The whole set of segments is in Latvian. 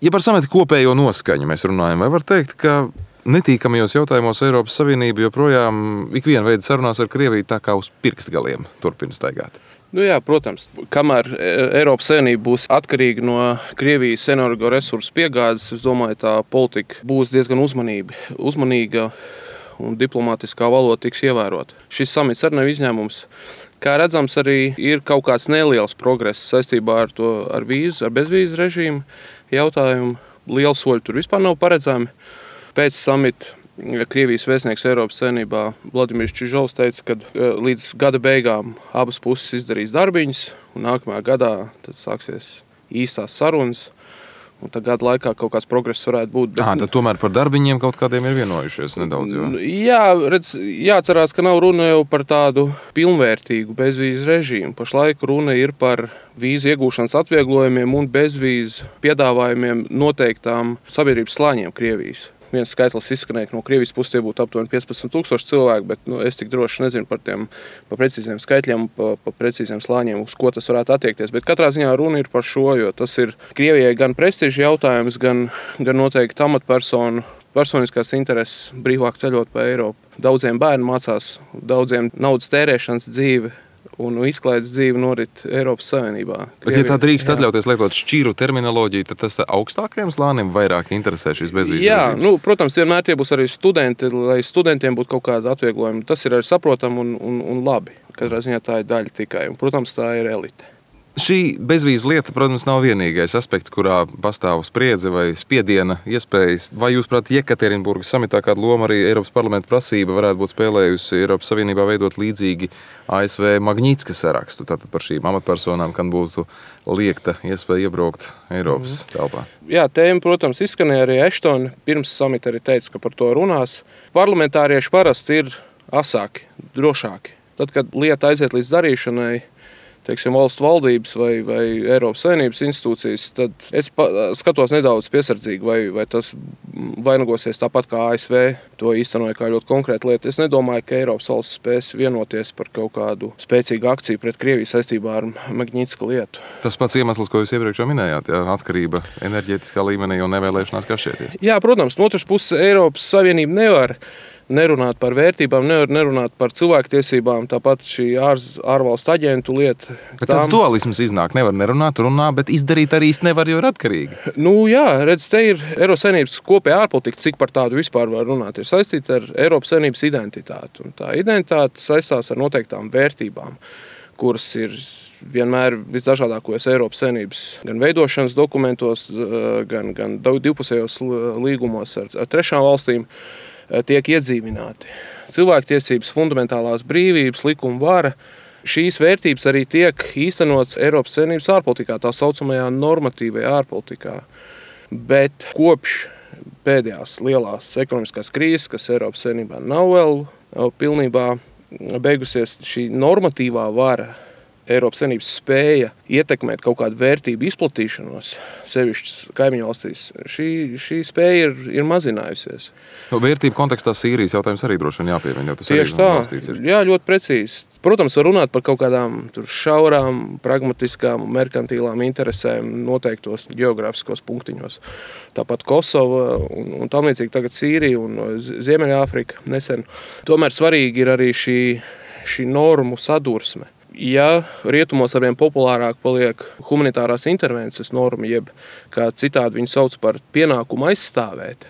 Ja par samita kopējo noskaņu mēs runājam, vai var teikt, ka netīkamajos jautājumos Eiropas Savienība joprojām ikviena veida sarunās ar Krieviju tā kā uz pirkstgaliem turpina staigāt? Nu jā, protams, kamēr Eiropas Savienība būs atkarīga no Krievijas energoresursu piegādes, es domāju, tā politika būs diezgan uzmanīga un diplomātiskā valoda tiks ievērota. Šis samits arī nav izņēmums. Kā redzams, arī ir kaut kāds neliels progress saistībā ar bezvīzu režīmu jautājumu. Liela soļa tur vispār nav paredzami. Pēc samita Krievijas vēstnieks Eiropas Savienībā Vladimirs Čižovs teica, ka līdz gada beigām abas puses izdarīs darbiņus, un nākamajā gadā tad sāksies īstās sarunas. Un tā gada laikā kaut kāds progress varētu būt. Tad tomēr par darbiņiem kaut kādiem ir vienojušies nedaudz. Jo. Jā, jāatcerās, ka nav runa jau par tādu pilnvērtīgu bezvīzu režīmu. Pašlaik runa ir par vīzu iegūšanas atvieglojumiem un bezvīzu piedāvājumiem noteiktām sabiedrības slāņiem Krievijas. Viens skaitlis izskanēja, ka no Krievijas puses tie būtu aptuveni 15,000 cilvēku, bet es tik droši nezinu par precīziem skaitļiem, par precīziem slāņiem, uz ko tas varētu attiekties. Bet katrā ziņā runa ir par šo, jo tas ir Krievijai gan prestiža jautājums, gan noteikti amatpersonu personiskās intereses brīvāk ceļot pa Eiropu. Daudziem bērni mācās, daudziem naudas tērēšanas dzīve un izklaides dzīve norit Eiropas Savienībā. Bet, ja tā drīkst atļauties lietot šķīru terminoloģiju, tad tas augstākajiem slānim vairāk interesē šis bezvīzu režīms? Jā, protams, vienmēr tie būs arī studenti, lai studentiem būtu kaut kāda atvieglojuma. Tas ir arī saprotam un labi. Katrā ziņā tā ir daļa tikai. Un, protams, tā ir elite. Šī bezvīzu lieta, protams, nav vienīgais aspekts, kurā pastāv spriedze vai spiediena iespējas. Vai jūs, prāt, Jekaterinburgas samitā kādu lomu arī Eiropas parlamenta prasība varētu būt spēlējusi Eiropas Savienībā veidot līdzīgi ASV Magnitska sarakstu, tātad par šīm amatpersonām, kam būtu liekta iespēja iebraukt Eiropas telpā? Jā, tēma, protams, izskanēja arī Eštona. Pirms samita arī teica, ka par to runās. Parlamentārieši parasti ir asāki, drošāki. Tad, kad lieta aiziet līdz darīšanai, teiksim, valstu valdības vai Eiropas Savienības institūcijas, tad es skatos nedaudz piesardzīgi, vai tas vainagosies tāpat kā ASV to īstenoja kā ļoti konkrēta lieta. Es nedomāju, ka Eiropas valsts spēs vienoties par kaut kādu spēcīgu akciju pret Krieviju saistībā ar Magnitska lietu. Tas pats iemesls, ko jūs iepriekš minējāt, atkarība enerģētiskā līmenī un nevēlēšanās kašķēties. Jā, protams, no otras puses Eiropas Savienība nevar nerunāt par vērtībām, nerunāt par cilvēktiesībām, tāpat šī ārvalstu aģentu lieta. Bet tāds dualisms iznāk, nevar nerunāt, runā, bet izdarīt arī nevar, jo ir atkarīgi. Jā, redz, te ir Eiropas Savienības kopējā ārpolitika, cik par tādu vispār var runāt, ir saistīta ar Eiropas Savienības identitāti. Un tā identitāte saistās ar noteiktām vērtībām, kuras ir vienmēr visdažādākos Eiropas Savienības gan veidošanas dokumentos, gan divpusējos līgumos ar trešām valstīm tiek iedzīvināti. Cilvēktiesības, fundamentālās brīvības, likuma vara, šīs vērtības arī tiek īstenots Eiropas Savienības ārpolitikā, tā saucamajā normatīvajā ārpolitikā. Bet kopš pēdējās lielās ekonomiskās krīzes, kas Eiropas Savienībā nav vēl pilnībā beigusies, šī normatīvā vara, Eiropas Savienības spēja ietekmēt kaut kādu vērtību izplatīšanos, sevišķi kaimiņu valstīs, šī spēja ir mazinājusies. Vērtību kontekstā Sīrijas jautājums arī droši vien jāpiemina, jo tas tieši arī tā, jā, ļoti precīzi. Protams, var runāt par kaut kādām šaurām, pragmatiskām, merkantīlām interesēm noteiktos geogrāfiskos punktiņos. Tāpat Kosova un tam līdzīgi tagad Sīrija un Ziemeļāfrika nesen. Tomēr svarīgi ir arī šī normu sadursme. Ja rietumos arvien populārāk paliek humanitārās intervences norma, jeb kā citādi viņu sauc par pienākumu aizstāvēt,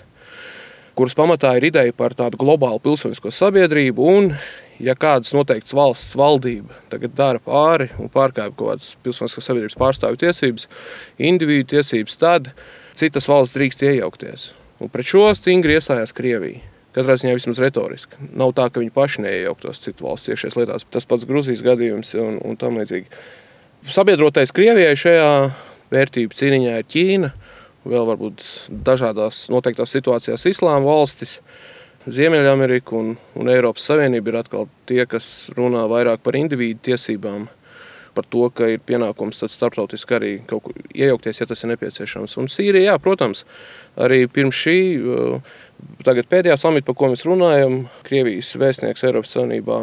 kuras pamatā ir ideja par tādu globālu pilsonisko sabiedrību, un ja kādas noteiktas valsts valdība tagad dara pāri un pārkāpj kaut kādas pilsoniskās sabiedrības pārstāvju tiesības, individu tiesības, tad citas valsts drīkst iejaukties. Un pret šo stingri iestājās Krievija. Katrā ziņā vismaz retoriski. Nav tā, ka viņi paši neiejauktos citu valstu iekšējās lietās. Tas pats Gruzijas gadījums un tam līdzīgi. Sabiedrotais Krievijai šajā vērtību cīniņā ir Ķīna, vēl varbūt dažādās noteiktās situācijās islāma valstis, Ziemeļamerika un Eiropas Savienība ir atkal tie, kas runā vairāk par individu tiesībām, par to, ka ir pienākums tad starptautiski arī kaut kur iejaukties, ja tas ir nepieciešams. Un Sīrija, jā, protams, arī pirms šī tagad pēdējā samita, par ko mēs runājam, Krievijas vēstnieks Eiropas Savienībā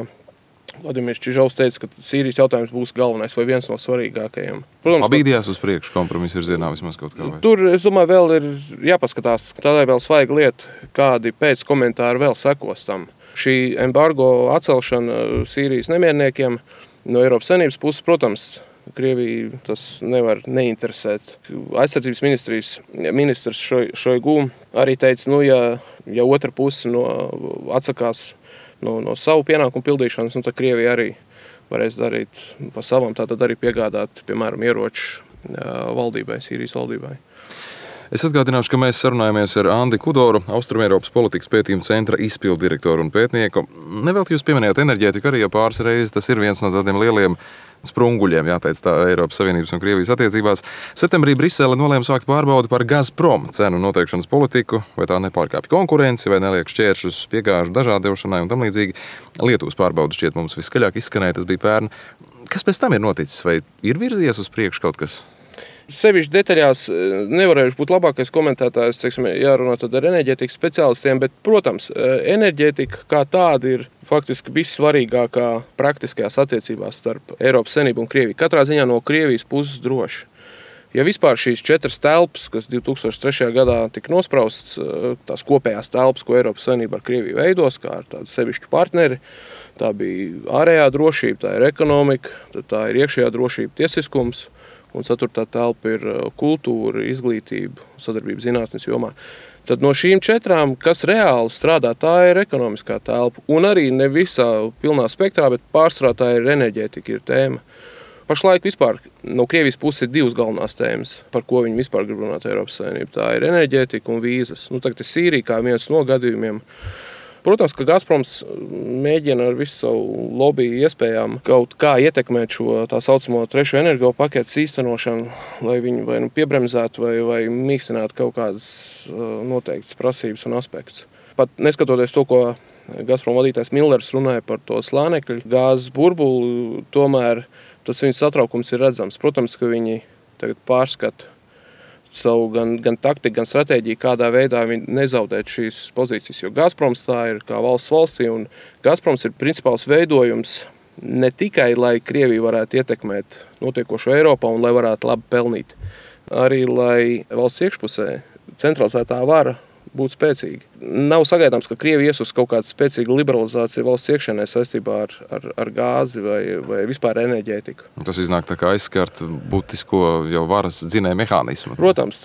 Vladimirs Čižaus teica, ka Sīrijas jautājums būs galvenais vai viens no svarīgākajiem. Protams, Pabīdījās uz priekšu, kompromiss ir zienā vismaz kaut kā. Vai? Tur, es domāju, vēl ir jāpaskatās. Tā ir vēl svaiga lieta, kādi pēc komentāri vēl sekos tam. Šī embargo atcelšana Sīrijas nemierniekiem no Eiropas Savienības puses, protams, Krieviju tas nevar neinteresēt. Aizsardzības ministrs Šoigu arī teica, ja otra puse atsakās no savu pienākumu pildīšanas, tad Krievija arī varēs darīt pa savam, tātad arī piegādāt, piemēram, ieroču valdībai, Sīrijas valdībai. Es atgādināšu, ka mēs sarunājamies ar Andi Kudoru, Austrumēropas politikas pētījuma centra izpildu direktoru un pētnieku. Nevelti jūs pieminējāt enerģētiku arī jau pāris reizes. Tas ir viens no tādiem lieliem sprunguļiem, jāteic tā, Eiropas Savienības un Krievijas attiecībās. Septembrī Brisele nolēma sākt pārbaudi par Gazprom cenu noteikšanas politiku, vai tā nepārkāpj konkurenci, vai neliek šķēršļus piegāžu dažādošanai un tam līdzīgi. Lietuvas pārbaudu šķiet mums viskaļāk izskanēja, tas bija pērn. Kas pēc tam ir noticis, vai ir virzies uz priekšu kaut kas? Sevišķi detaļās nevarējuši būt labākais komentētājs, jārunā tad ar enerģētikas speciālistiem, bet, protams, enerģētika kā tāda ir faktiski vissvarīgākā praktiskajās attiecībās starp Eiropas Savienību un Krieviju. Katrā ziņā no Krievijas puses droši. Ja vispār šīs 4 telpas, kas 2003. gadā tika nospraustas, tās kopējās telpas, ko Eiropas Savienība ar Krieviju veidos, kā ar tādu sevišķu partneri, tā bija ārējā drošība, tā ir ekonomika, tā ir iekšējā drošība, tiesiskums, un 4. telpa ir kultūra, izglītība, sadarbība zinātnes jomā. Tad no šīm 4, kas reāli strādā, tā ir ekonomiskā telpa. Un arī ne visā pilnā spektrā, bet pārsvarā tā ir enerģētika, ir tēma. Pašlaik vispār no Krievijas puses ir 2 galvenās tēmas, par ko viņi vispār grib runāt Eiropas Savienību. Tā ir enerģētika un vīzas. Tagad ir Sīrija kā viens no gadījumiem. Protams, ka Gazproms mēģina ar visu savu lobby iespējām kaut kā ietekmēt šo tā saucamo 3. energo paketes īstenošanu, lai viņi vai piebremzētu vai mīkstinātu kaut kādas noteiktas prasības un aspektus. Pat neskatoties to, ko Gazprom vadītājs Millers runāja par to slānekļu gāzes burbuli, tomēr tas viņu satraukums ir redzams. Protams, ka viņi tagad pārskata savu gan taktiku, gan stratēģiju, kādā veidā viņi nezaudēt šīs pozīcijas. Jo Gazproms tā ir kā valsts valstī, un Gazproms ir principāls veidojums ne tikai, lai Krievija varētu ietekmēt notiekošo Eiropā un lai varētu labi pelnīt, arī lai valsts iekšpusē centralizētā vara būtu spēcīga. Nav sagaidāms, ka Krievija ies uz kaut kādu spēcīgu liberalizāciju valsts iekšienē saistībā ar gāzi vai vispār enerģētiku. Tas iznāk tā kā aizskart būtisko jau varas dzinēju mehānismu. Protams,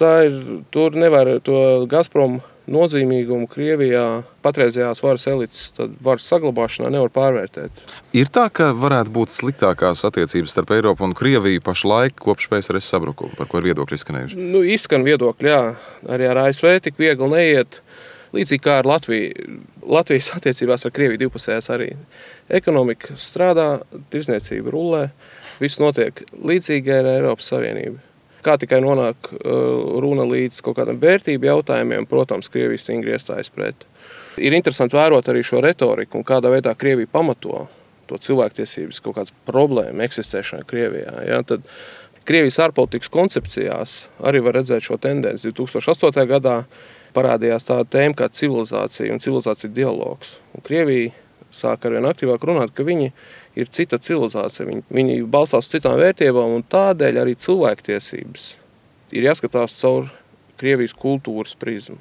tur nevar to Gazprom nozīmīgumu Krievijā patreizējās varas elites, tad varas saglabāšanā nevar pārvērtēt. Ir tā, ka varētu būt sliktākās attiecības starp Eiropu un Krieviju pašlaik kopš PSRS sabrukuma, par ko ir viedokļi izskanējuši? Izskan viedokļi, jā. Arī ar ASV tik viegli neiet. Līdzīgi kā ar Latviju. Latvijas attiecībās ar Krieviju divpusējās arī. Ekonomika strādā, tirsniecība rullē, viss notiek līdzīgi ar Eiropas Savienību. Kā tikai nonāk runa līdz kaut kādam vērtību jautājumiem, protams, Krievija stingri iestājas pret. Ir interesanti vērot arī šo retoriku un kādā veidā Krievija pamato to cilvēktiesības kaut kādas problēma eksistēšana Krievijā. Ja? Tad Krievijas ārpolitikas koncepcijās arī var redzēt šo tendenci. 2008. gadā parādījās tāda tēma kā civilizācija un civilizācija dialogs. Un Krievija sāk arvien aktīvāk runāt, ka viņi ir cita civilizācija. Viņi balstās uz citām vērtībām, un tādēļ arī cilvēktiesības ir jāskatās caur Krievijas kultūras prizmu.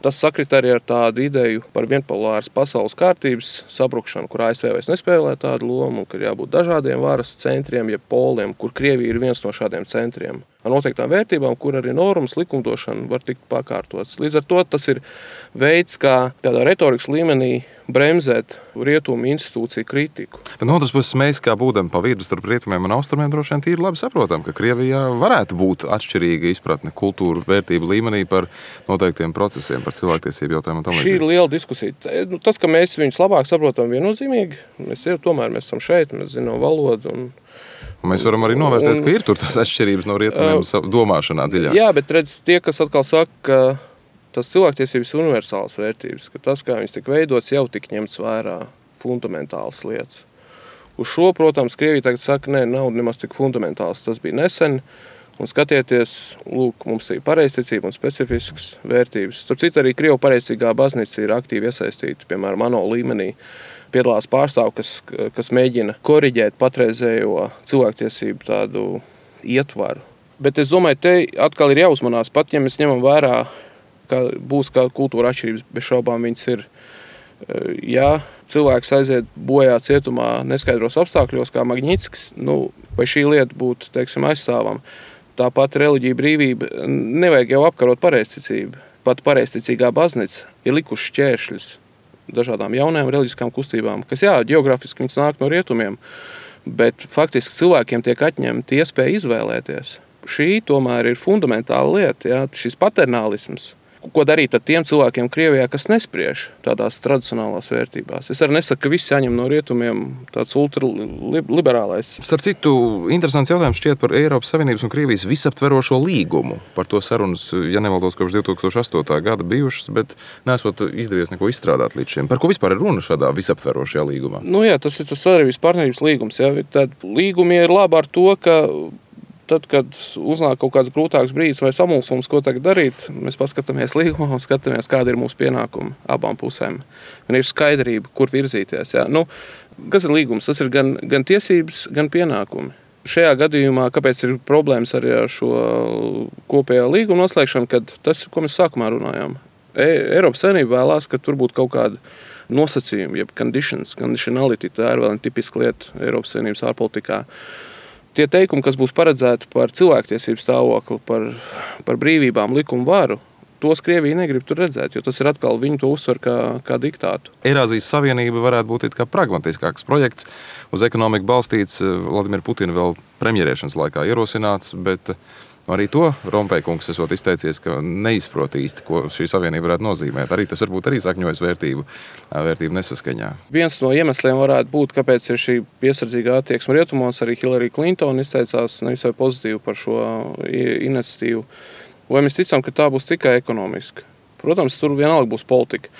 Tas sakrit arī ar tādu ideju par vienpolāras pasaules kārtības sabrukšanu, kur ASV vairs nespēlē tādu lomu, un ka ir jābūt dažādiem varas centriem, jeb poliem, kur Krievija ir viens no šādiem centriem. Ar noteiktām vērtībām, kur arī normas likumdošana var tikt pakārtotas. Līdz ar to tas ir veids, kā tādā retorikas līmenī bremzēt rietumu institūciju kritiku. Bet no otras puses, mēs kā būdami pa vidu starp rietumiem un austrumiem droši vien tīri labi saprotam, ka Krievijā varētu būt atšķirīga izpratne kultūru vērtību līmenī par noteiktiem procesiem, par cilvēktiesību jautājumu un tam līdzīgi. Šī ir liela diskusija. Tas, ka mēs viņus labāk saprotam viennozīmīgi, mēs esam šeit, mēs zinām valodu un mēs varam arī novērtēt, ka ir tur tās atšķirības no rietumiem domāšanā dziļāk. Jā, bet redz, tie, kas atkal saka, ka tas cilvēktiesības ir universālas vērtības, ka tas, kā viņas tika veidots, jau tik ņemts vērā fundamentālas lietas. Uz šo, protams, Krievija tagad saka, nav nemaz tik fundamentāls. Tas bija nesen, Un skatieties, lūk, mums ir pareizticība un specifiskas vērtības. Tur citu arī Krievu pareizticīgā baznīca ir aktīvi iesaistīta, piemēram, ANO līmenī. Piedalās pārstāvi, kas mēģina koriģēt patreizējo cilvēktiesību tādu ietvaru. Bet es domāju, te atkal ir jāuzmanās, pat ja mēs ņemam vērā, ka būs kā kultūra atšķirības, bez šaubām viņas ir. Ja cilvēks aiziet bojā cietumā neskaidros apstākļos, kā Magnitskis, vai šī lieta būtu, teiksim, aizstāvama. Tāpat reliģija brīvība, nevajag jau apkarot pareizticību. Pat pareizticīgā baznīca ir likuši šķēršļus dažādām jaunajām reliģiskām kustībām, kas, ģeogrāfiski viņas nāk no rietumiem, bet faktiski cilvēkiem tiek atņemta iespēja izvēlēties. Šī tomēr ir fundamentāla lieta, šis paternālisms. Ko darīt ar tiem cilvēkiem Krievijā, kas nespriež tādās tradicionālās vērtībās? Es arī nesaku, ka viss jāņem no rietumiem tāds ultraliberālais. Starp citu, interesants jautājums šķiet par Eiropas Savienības un Krievijas visaptverošo līgumu. Par to sarunas, ja nemaldos, kopš 2008. gada bijušas, bet nesot izdevies neko izstrādāt līdz šim. Par ko vispār ir runa šādā visaptverošajā līgumā? Tas ir tas sadarbības partnerības līgums. Tad līgumi ir labi ar to, ka tad, kad uznāk kaut kāds grūtāks brīdis vai samulsums, ko tagad darīt, mēs paskatāmies līgumā un skatāmies, kāda ir mūsu pienākuma abām pusēm. Un ir skaidrība, kur virzīties. Kas ir līgums? Tas ir gan tiesības, gan pienākumi. Šajā gadījumā, kāpēc ir problēmas arī ar šo kopējā līguma noslēgšanu, kad tas, ko mēs sākumā runājām. Eiropas Savienība vēlās, ka tur būtu kaut kāda nosacījuma, jeb conditionality, tā ir vēl tipiska lieta Eiropas Savienības ārpolitikā. Tie teikumi, kas būs paredzēti par cilvēktiesību stāvokli, par brīvībām, likumu varu, tos Krievija negrib tur redzēt, jo tas ir atkal viņu to uzsver kā diktātu. Eirāzijas Savienība varētu būt kā pragmatiskāks projekts, uz ekonomiku balstīts, Vladimira Putina vēl premjerēšanas laikā ierosināts, bet arī to Rompējkungs esot izteicies, ka neizprot īsti, ko šī savienība varētu nozīmēt. Arī tas varbūt arī sakņojas vērtību nesaskaņā. Viens no iemesliem varētu būt, kāpēc ir šī piesardzīgā attieksme rietumos. Arī Hillary Clinton izteicās nevisai pozitīvi par šo iniciatīvu. Vai mēs ticam, ka tā būs tikai ekonomiska? Protams, tur vienalga būs politika.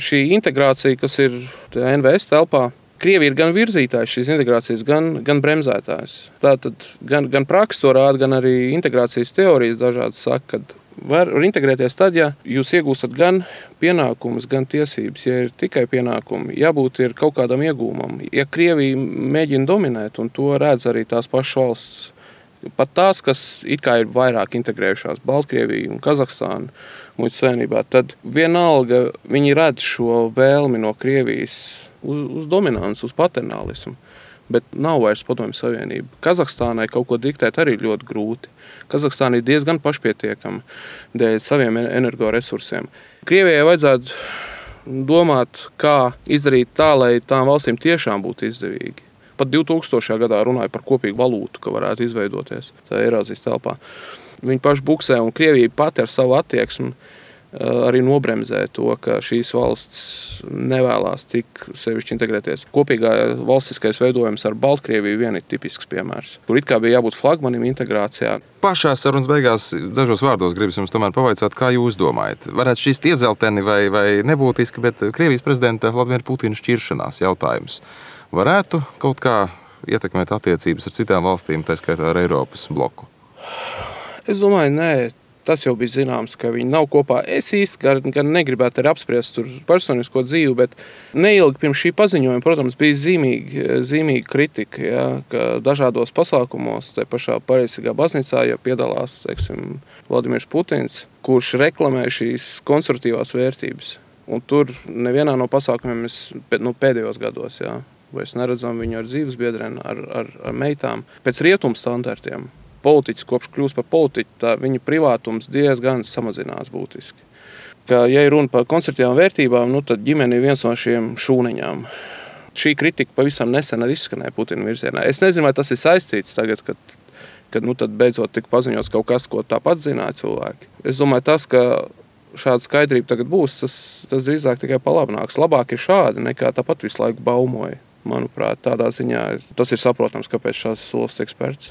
Šī integrācija, kas ir NVS telpā, Krievija ir gan virzītājs šīs integrācijas, gan bremzētājs. Tātad gan praksa to rāda, gan arī integrācijas teorijas dažādas saka, ka var integrēties tad, ja jūs iegūstat gan pienākumus, gan tiesības. Ja ir tikai pienākumi, jābūt ir kaut kādam iegūmam. Ja Krievija mēģina dominēt, un to redz arī tās pašas valsts, pat tās, kas it kā ir vairāk integrējušās, Baltkrievija un Kazahstāna muitas savienībā, tad vienalga viņi redz šo vēlmi no Krievijas uz dominanci, uz paternālismu. Bet nav vairs Padomju Savienība. Kazahstānai kaut ko diktēt arī ļoti grūti. Kazahstāna ir diezgan pašpietiekama dēļ saviem energoresursiem. Krievijai vajadzētu domāt, kā izdarīt tā, lai tām valstīm tiešām būtu izdevīgi. Pat 2000. gadā runāja par kopīgu valūtu, ka varētu izveidoties tā Eirāzijas telpā. Viņi paši buksē, un Krievija pati ar savu attieksmi arī nobremzē to, ka šīs valsts nevēlās tik sevišķi integrēties. Kopīgā valstiskais veidojums ar Baltkrieviju vien ir tipisks piemērs. Tur it kā bija jābūt flagmanim integrācijā. Pašās sarunas beigās dažos vārdos gribas jums tomēr pavaicāt, kā jūs domājat. Varētu šķist iezelteni vai nebūtiski, bet Krievijas prezidenta Vladimira Putina šķiršanās jautājums varētu kaut kā ietekmēt attiecības ar citām valstīm, tā skaitā ar Eiropas bloku? Es domāju, nē. Tas jau bija zināms, ka viņi nav kopā. Es īsti gan negribētu arī apspriest tur personisko dzīvi, bet neilgi pirms šī paziņojuma, protams, bija zīmīga kritika, ka dažādos pasākumos, te pašā pareizajā baznīcā, ja piedalās, teiksim, Vladimirs Putins, kurš reklamē šīs konservatīvās vērtības. Un tur nevienā no pasākumiem mēs pēdējos gados, vairs neredzam viņu ar dzīvesbiedriem, ar meitām, pēc rietumu standartiem. Politiķis, kopš kļūst par politiķu, viņa privātums diezgan samazinās būtiski. Ja ir runa par konservatīvām vērtībām, tad ģimene ir viens no šiem šūniņām. Šī kritika pavisam nesen arī izskanēja Putina virzienā. Es nezinu, vai tas ir saistīts tagad, kad tad beidzot tika paziņots kaut kas, ko tāpat zināja cilvēki. Es domāju, tas, ka šāda skaidrība tagad būs, tas drīzāk tikai palabnāks. Labāk ir šādi, nekā tāpat visu laiku baumoja. Manuprāt, tādā ziņā tas ir saprotams, kāpēc šās solis tiek spērts.